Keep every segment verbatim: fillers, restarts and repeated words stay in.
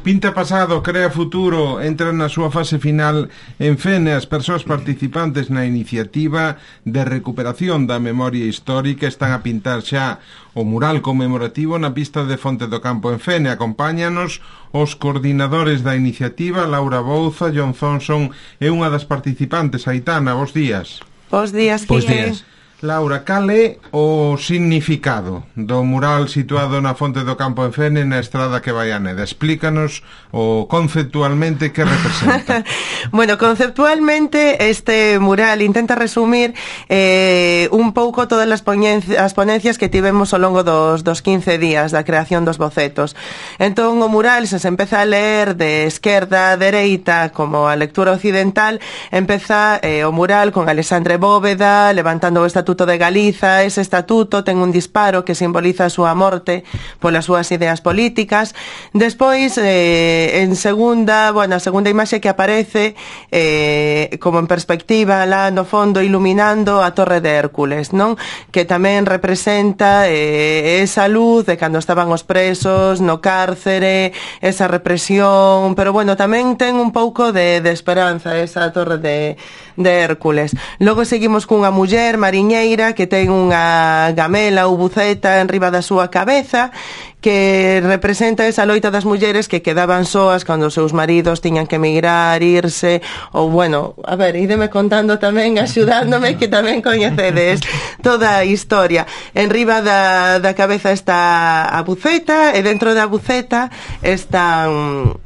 Pinta pasado, crea futuro, entra na súa fase final en Fene. As persoas participantes na iniciativa de recuperación da memoria histórica están a pintar xa o mural conmemorativo na pista de Fonte do Campo en Fene. Acompáñanos os coordinadores da iniciativa, Laura Bouza, John Thompson e unha das participantes, Aitana. Bos días. Bos días, Bos días. Laura, cal é o significado do mural situado na Fonte do Campo en Fene, na estrada que vai a Neda? Explícanos o conceptualmente que representa. Bueno, conceptualmente este mural intenta resumir eh, un pouco todas as ponencias, as ponencias que tivemos ao longo dos, dos quince días da creación dos bocetos. Entón o mural, se se empeza a ler de esquerda a dereita como a lectura occidental, empeza eh, o mural con Alexandre Bóveda levantando o Estatuto de Galiza. Ese estatuto ten un disparo que simboliza a súa morte polas súas ideas políticas. Despois, eh, en segunda, bueno, a segunda imaxe que aparece eh, como en perspectiva lá no fondo iluminando a Torre de Hércules, non? Que tamén representa eh, esa luz de cando estaban os presos no cárcere, esa represión, pero bueno, tamén ten un pouco de, de esperanza esa Torre de, de Hércules. Logo seguimos cunha muller mariñeira que ten unha gamela ou buceta en riba da súa cabeza, que representa esa loita das mulleres que quedaban soas cando os seus maridos tiñan que emigrar, irse, ou bueno, a ver, ídeme contando tamén, axudándome, que tamén coñecedes toda a historia. En riba da, da cabeza está a buceta, e dentro da buceta están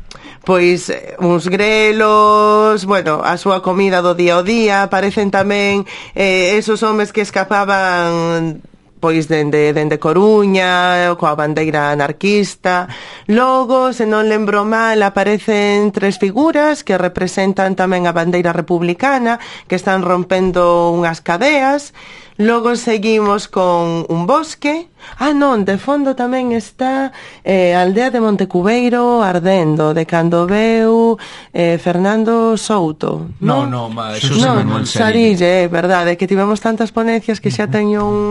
pois uns grelos, bueno, a súa comida do día ao día. Aparecen tamén eh, esos homes que escapaban pois dende, dende Coruña coa bandeira anarquista. Logo, se non lembro mal, aparecen tres figuras que representan tamén a bandeira republicana, que están rompendo unhas cadeas. Logo seguimos con un bosque. Ah, non, de fondo tamén está eh, a aldea de Montecubeiro ardendo, de cando veu eh, Fernando Souto. No, no, no, Xosé no, Manuel Sarille, é verdade, que tivemos tantas ponencias que xa teño un...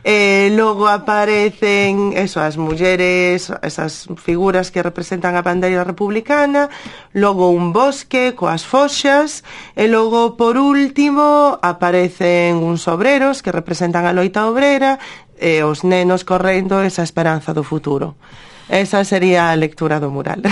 Eh, logo aparecen eso, as mulleres, esas figuras que representan a bandeira republicana. Logo un bosque coas foxas. E logo, por último, aparecen uns obreros que representan a loita obrera, e os nenos correndo esa esperanza do futuro. Esa sería a lectura do mural.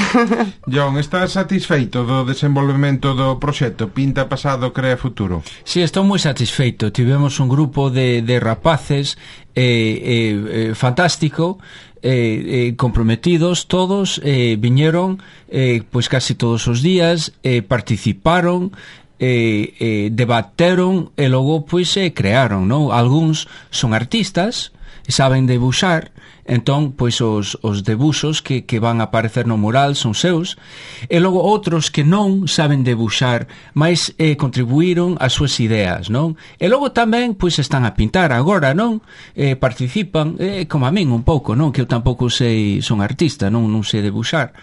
John, estás satisfeito do desenvolvemento do proxecto Pinta pasado, crea futuro? Sí, estou moi satisfeito. Tivemos un grupo de, de rapaces eh, eh, eh, fantástico, eh, eh, comprometidos todos, eh, viñeron eh, pois casi todos os días, eh, participaron, eh, eh, debateron e logo pois eh, crearon, non? Algúns son artistas, saben debuxar, entón pois os, os debuxos que, que van a aparecer no mural son seus, e logo outros que non saben debuxar, mas eh, contribuíron as súas ideas, non? E logo tamén pois están a pintar agora, non? Eh, participan, eh, como a min un pouco, non? Que eu tampouco sei, son artista, non non sei debuxar,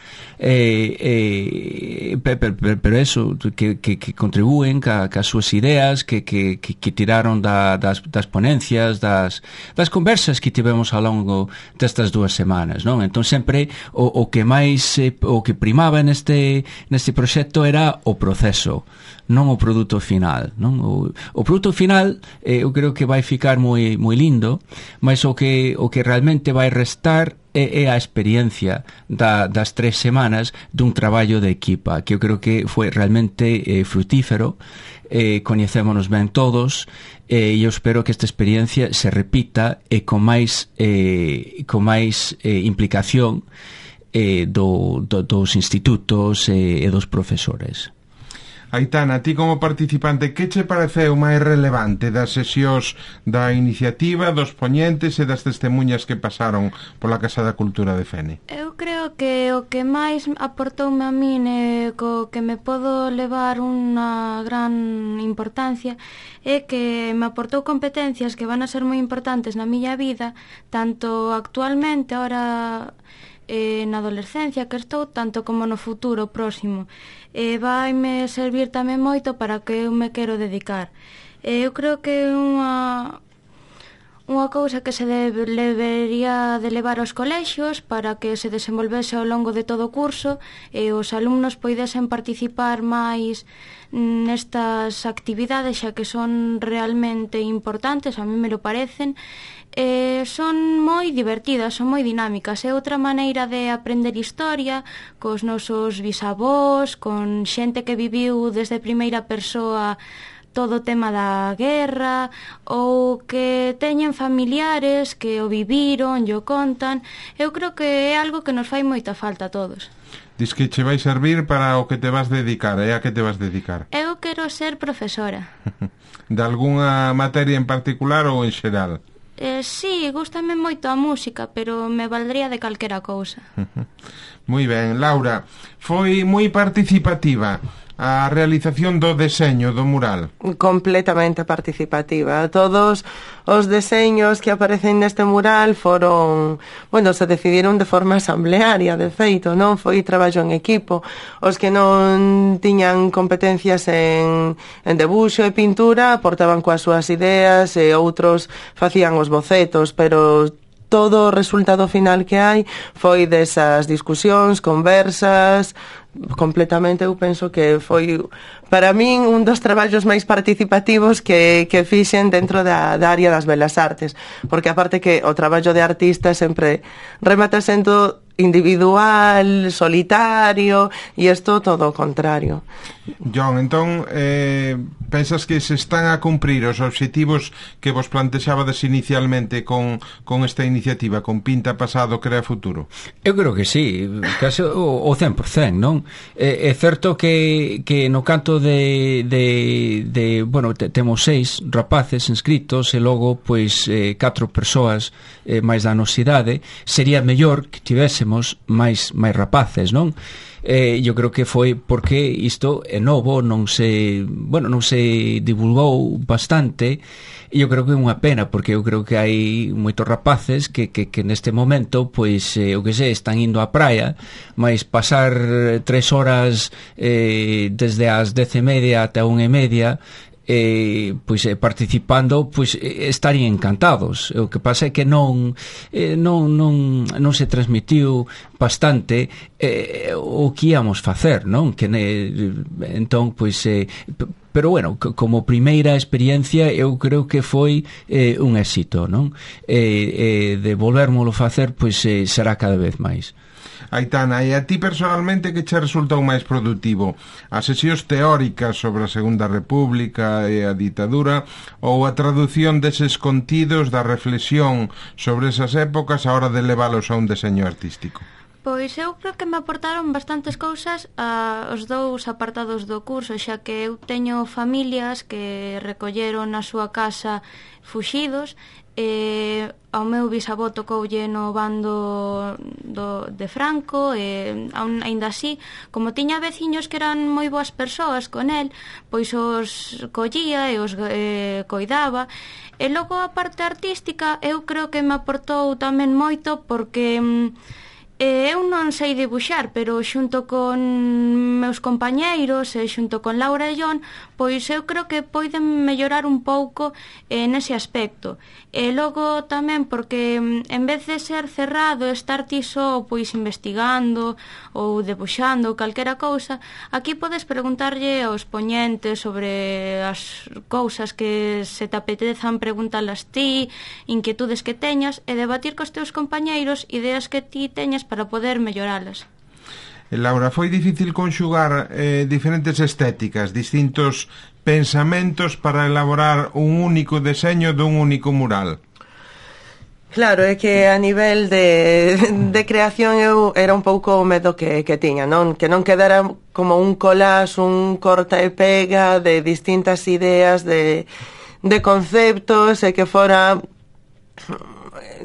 eh, eh, pero, pero, pero eso, que, que, que contribúen ca, ca súas ideas, que, que, que, que tiraron da, das, das ponencias, das, das conversas que tivemos ao longo destas dúas semanas, non? Entón sempre o, o que máis eh, o que primaba neste neste proxecto era o proceso, non o produto final, non? O, o produto final eh, eu creo que vai ficar moi moi lindo, mas o que o que realmente vai restar é, é a experiencia da, das tres semanas dun traballo de equipa, que eu creo que foi realmente eh, frutífero. Eh, coñecémonos ben todos, e eh, eu espero que esta experiencia se repita e con máis eh, con máis eh, implicación eh, do, do, dos institutos eh, e dos profesores. Aitana, ti como participante, que che pareceu máis relevante das sesións da iniciativa, dos poñentes e das testemunhas que pasaron pola Casa da Cultura de Fene? Eu creo que o que máis aportoume a min e co que me podo levar unha gran importancia é que me aportou competencias que van a ser moi importantes na miña vida, tanto actualmente, ahora eh, na adolescencia que estou, tanto como no futuro próximo. E vaime servir tamén moito para que eu me quero dedicar. E eu creo que é unha unha cousa que se debe, debería de levar aos colexios para que se desenvolvese ao longo de todo o curso e os alumnos poidesen participar máis nestas actividades, xa que son realmente importantes, a mí me lo parecen. Eh, son moi divertidas, son moi dinámicas. É outra maneira de aprender historia cos nosos bisavós, con xente que viviu desde primeira persoa todo o tema da guerra, ou que teñen familiares que o viviron, e o contan. Eu creo que é algo que nos fai moita falta a todos. Dis que che vai servir para o que te vas dedicar, e a que te vas dedicar? Eu quero ser profesora. De algunha materia en particular ou en xeral? Eh, sí, gústame moito a música, pero me valdría de calquera cousa. Moi ben, Laura, foi moi participativa a realización do deseño do mural. Completamente participativa. Todos os deseños que aparecen neste mural foron, bueno, se decidiron de forma asamblearia, de feito, non foi traballo en equipo. Os que non tiñan competencias en, en debuxo e pintura aportaban coas súas ideas e outros facían os bocetos, pero todo o resultado final que hai foi desas discusións, conversas. Completamente, eu penso que foi para min un dos traballos máis participativos que, que fixen dentro da, da área das belas artes, porque aparte que o traballo de artista sempre remata sendo individual, solitario, e isto todo o contrario. John, entón, eh, pensas que se están a cumprir os obxectivos que vos plantexabades inicialmente con, con esta iniciativa, con Pinta Pasado, Crea Futuro? Eu creo que sí, casi o, o cen por cen, non? É, é certo que, que no canto de, de, de bueno, te, temos seis rapaces inscritos e logo, pois, eh, catro persoas eh, máis da nosidade. Sería mellor que tivésemos máis, máis rapaces, non? Eh, eu creo que foi porque isto é novo, non se, bueno, non se divulgou bastante, e eu creo que é unha pena, porque eu creo que hai moitos rapaces que, que, que neste momento, pois, eh, o que sei, están indo á praia, mas pasar tres horas eh, desde as dez e media ata unha e media, eh, pois eh, participando, pois eh, estarían encantados. O que pasa é que non eh, non, non, non se transmitiu bastante eh, o que íamos facer, non? Que ne, entón, pois eh, pero bueno, como primeira experiencia eu creo que foi eh, un éxito, non? Eh, eh, de volvérmolo facer, pois eh, será cada vez máis. Aitana, e a ti personalmente que che resultou máis produtivo? As sesións teóricas sobre a Segunda República e a ditadura, ou a traducción deses contidos da reflexión sobre esas épocas a hora de leválos a un deseño artístico? Pois eu creo que me aportaron bastantes cousas a, os dous apartados do curso, xa que eu teño familias que recolleron a súa casa fuxidos, e ao meu bisavó tocoulle no bando do, de Franco, e aínda así, como tiña veciños que eran moi boas persoas con el, pois os collía e os eh, coidaba. E logo a parte artística eu creo que me aportou tamén moito, porque Eh, eu non sei dibuixar, pero xunto con meus compañeiros e xunto con Laura e John, pois eu creo que poden mellorar un pouco eh, nese aspecto. E logo tamén porque en vez de ser cerrado, estar ti só pois investigando ou debuxando ou calquera cousa, aquí podes preguntarlle aos poñentes sobre as cousas que se te apetezan preguntalas ti, inquietudes que teñas, e debatir cos teus compañeiros ideas que ti teñas para poder melloralas. Laura, foi difícil conxugar eh, diferentes estéticas, distintos pensamentos para elaborar un único deseño dun único mural? Claro, é que a nivel de, de creación eu era un pouco o medo que, que tiña, non? Que non quedara como un collage, un corta e pega de distintas ideas, de, de conceptos, e que fora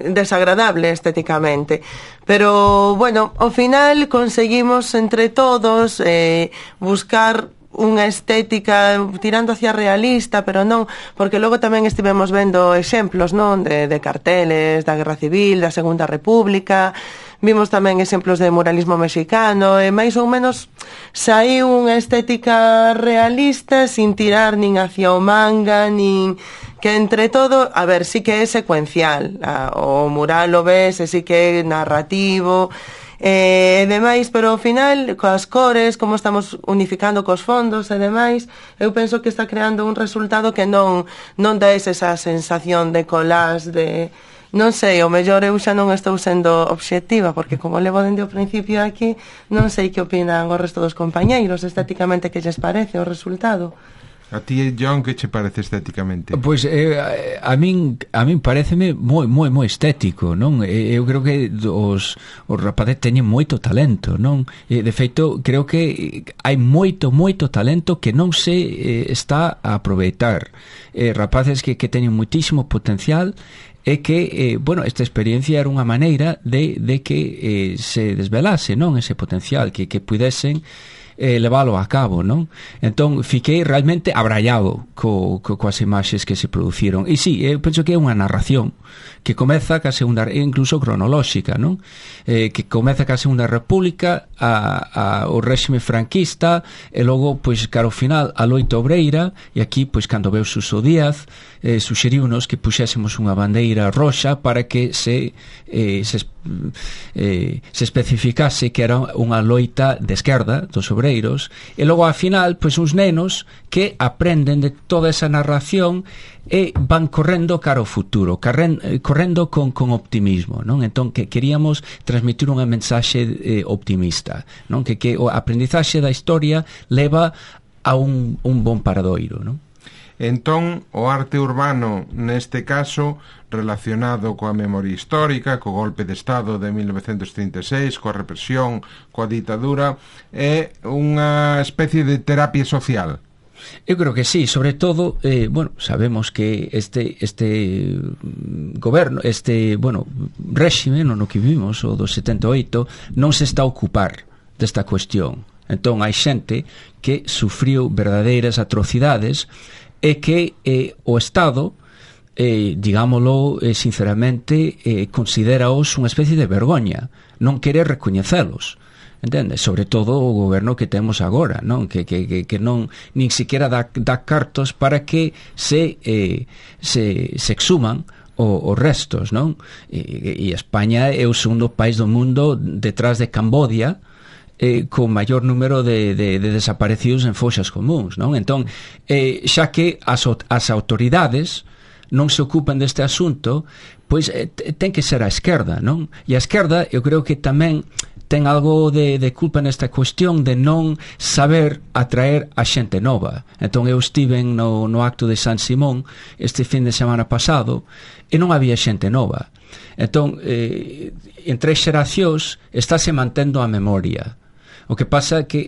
desagradable estéticamente. Pero, bueno, ao final conseguimos entre todos eh, buscar unha estética tirando hacia realista, pero non, porque logo tamén estivemos vendo exemplos, non, de, de carteles da Guerra Civil, da Segunda República, vimos tamén exemplos de muralismo mexicano, e máis ou menos saiu unha estética realista sin tirar nin hacia o manga, nin que entre todo, a ver, sí que é secuencial, o mural lo ves, e sí que é narrativo, e demais, pero ao final, coas cores, como estamos unificando cos fondos e demais, eu penso que está creando un resultado que non non dá esa sensación de collage, de... Non sei, o mellor eu xa non estou sendo obxectiva, porque como levo dende o principio aquí, non sei que opinan o resto dos compañeiros, estéticamente que lles parece o resultado. A ti, John, que che parece estéticamente? Pois eh, a min a min pareceme moi moi moi estético, non? Eu creo que os os rapaces teñen moito talento, non? E de feito, creo que hai moito moito talento que non se eh, está a aproveitar. Eh, rapaces que que teñen muitísimo potencial e que, eh, bueno, esta experiencia era unha maneira de, de que eh, se desvelase, non, ese potencial, que, que pudesen eh, leválo a cabo, non? Entón, fiquei realmente abraiado co, co, coas imaxes que se produciron. E sí, eu penso que é unha narración que comeza ca segunda, incluso cronolóxica, non? Eh, que comeza ca segunda república, a, a, o réxime franquista, e logo, pois, cara ao final, a loita obreira, e aquí, pois, cando veu Suso Díaz, eh, suxeriunos que puxésemos unha bandeira roxa para que se, eh, se, eh, se especificase que era unha loita de esquerda dos obreiros, e logo ao final, pois, uns nenos que aprenden de toda esa narración e van correndo cara ao futuro, carren, correndo con, con optimismo, non? Entón, que queríamos transmitir unha mensaxe eh, optimista, non? Que, que o aprendizaxe da historia leva a un, un bon paradoiro, non? Entón, o arte urbano, neste caso, relacionado coa memoria histórica, co golpe de Estado de mil novecentos trinta e seis, coa represión, coa ditadura, é unha especie de terapia social. Eu creo que sí, sobre todo, eh, bueno, sabemos que este este goberno, este, bueno, réxime no que vivimos, o do setenta e oito, non se está a ocupar desta cuestión. Entón, hai xente que sufriu verdadeiras atrocidades e que eh, o Estado, eh, digámoslo eh, sinceramente, eh, consideraos unha especie de vergoña, non quere recoñecelos. Entende? Sobre todo o goberno que temos agora, non? Que, que, que, que non nin siquiera dá, dá cartos para que se, eh, se, se exhuman os restos, non? E, e España é o segundo país do mundo detrás de Cambodia, eh, con maior número de, de, de desaparecidos en foxas comuns, non? Entón, eh, xa que as, as autoridades non se ocupan deste asunto, pois eh, ten que ser a esquerda, non? E a esquerda, eu creo que tamén ten algo de, de culpa nesta cuestión de non saber atraer a xente nova. Entón eu estive no, no acto de San Simón este fin de semana pasado e non había xente nova. Entón, eh, entre xeracións estáse mantendo a memoria. O que pasa é que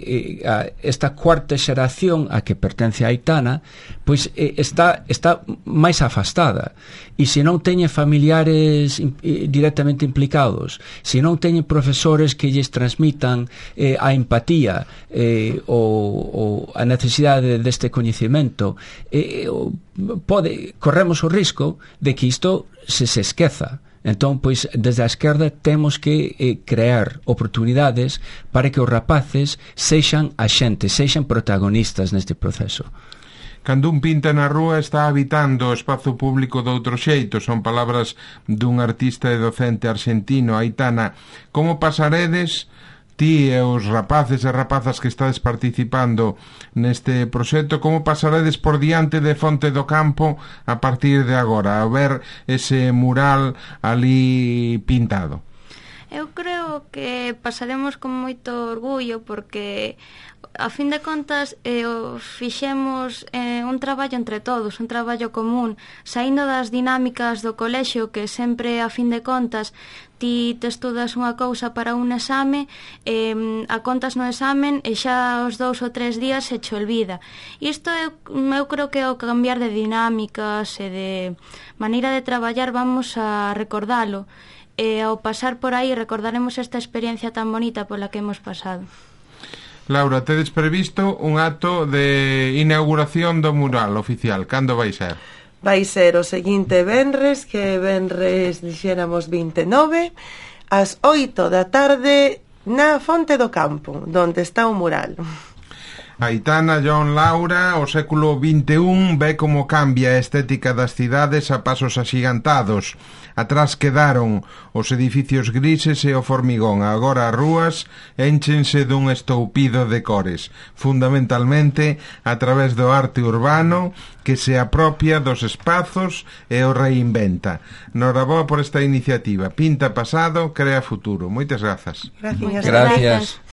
eh, a, esta cuarta xeración a que pertence a Aitana, pois eh, está, está máis afastada, e se non teñen familiares eh, directamente implicados, se non teñen profesores que lles transmitan eh, a empatía eh, ou, ou a necesidade deste coñecemento, eh, pode, corremos o risco de que isto se se esqueza. Entón, pois, desde a esquerda temos que eh, crear oportunidades para que os rapaces sexan axentes, sexan protagonistas neste proceso. Cando un pinta na rúa está habitando o espazo público de outro xeito, son palabras dun artista e docente argentino, Aitana. Como pasaredes ti e os rapaces e rapazas que estades participando neste proxecto, como pasaredes por diante de Fonte do Campo a partir de agora, a ver ese mural ali pintado? Eu creo que pasaremos con moito orgullo porque a fin de contas eh, fixemos eh, un traballo entre todos, un traballo común, saindo das dinámicas do colexio que sempre a fin de contas ti te estudas unha cousa para un exame, eh, a contas no examen e xa os dous ou tres días se che olvida. E isto eu, eu creo que ao cambiar de dinámicas e de maneira de traballar vamos a recordalo. E ao pasar por aí recordaremos esta experiencia tan bonita pola que hemos pasado. Laura, tedes previsto un acto de inauguración do mural oficial. Cando vai ser? Vai ser o seguinte venres, que venres dixéramos vinte e nove, ás oito da tarde na Fonte do Campo, donde está o mural. Aitana, John, Laura, o século vinte e un ve como cambia a estética das cidades a pasos axigantados. Atrás quedaron os edificios grises e o formigón. Agora as rúas énchense dun estoupido de cores, fundamentalmente a través do arte urbano que se apropia dos espazos e o reinventa. Noraboa por esta iniciativa. Pinta pasado, crea futuro. Moitas grazas. Gracias. Gracias.